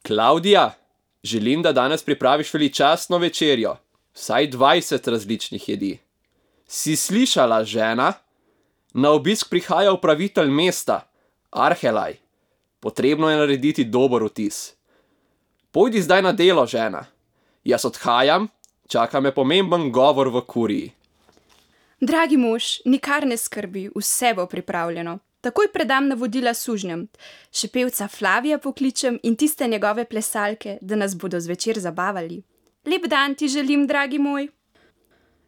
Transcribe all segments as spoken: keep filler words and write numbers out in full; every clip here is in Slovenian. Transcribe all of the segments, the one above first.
Klavdija, želim, da danes pripraviš veličastno večerjo, vsaj dvajset različnih jedi. Si slišala, žena? Na obisk prihaja upravitelj mesta, Arhelaj. Potrebno je narediti dober vtis. Pojdi zdaj na delo, žena. Jaz odhajam, čaka me pomemben govor v kuriji. Dragi mož, nikar ne skrbi, vse bo pripravljeno. Takoj predam navodila sužnjem. Še pevca Flavija pokličem in tiste njegove plesalke, da nas bodo zvečer zabavali. Lep dan ti želim, dragi moj.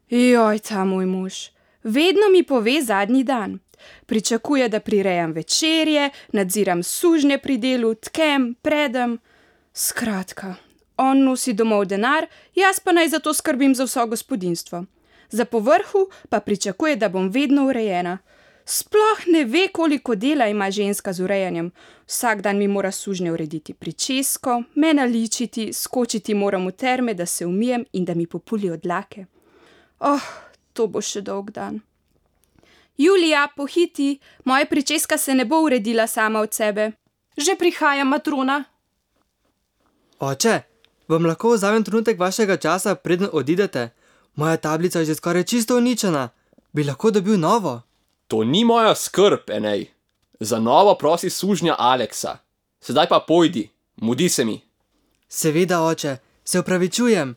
Joj, ta moj mož. Vedno mi pove zadnji dan. Pričakuje, da prirejam večerje, nadziram sužnje pri delu, tkem, predem. Skratka, on nosi domov denar, jaz pa naj zato skrbim za vso gospodinjstvo. Za povrhu pa pričakuje, da bom vedno urejena. Sploh ne ve, koliko dela ima ženska z urejanjem. Vsak dan mi mora sužnje urediti pričesko, me naličiti, skočiti moram v terme, da se umijem in da mi populijo dlake. Oh, to bo še dolg dan. Julija, pohiti, moja pričeska se ne bo uredila sama od sebe. Že prihaja, matrona. Oče, vam lahko vzamem trenutek vašega časa, preden odidete? Moja tablica je že skoraj čisto uničena. Bi lahko dobil novo? To ni moja skrb, Enej. Za novo prosi sužnja Aleksa. Sedaj pa pojdi, mudi se mi. Seveda, oče, se opravičujem.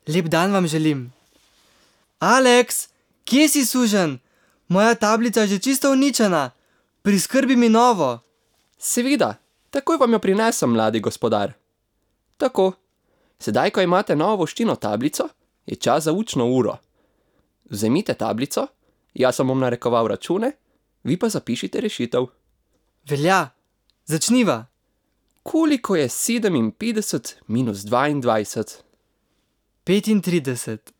Lep dan vam želim. Aleks, kje si, suženj? Moja tablica je že čisto uničena. Priskrbi mi novo. Seveda, takoj vam jo prinesem, mladi gospodar. Tako, sedaj, ko imate novo voščino tablico, je čas za učno uro. Vzemite tablico, jaz vam bom narekoval račune, vi pa zapišite rešitev. Velja, začniva. Koliko je sedeminpetdeset minus dvaindvajset? petintrideset.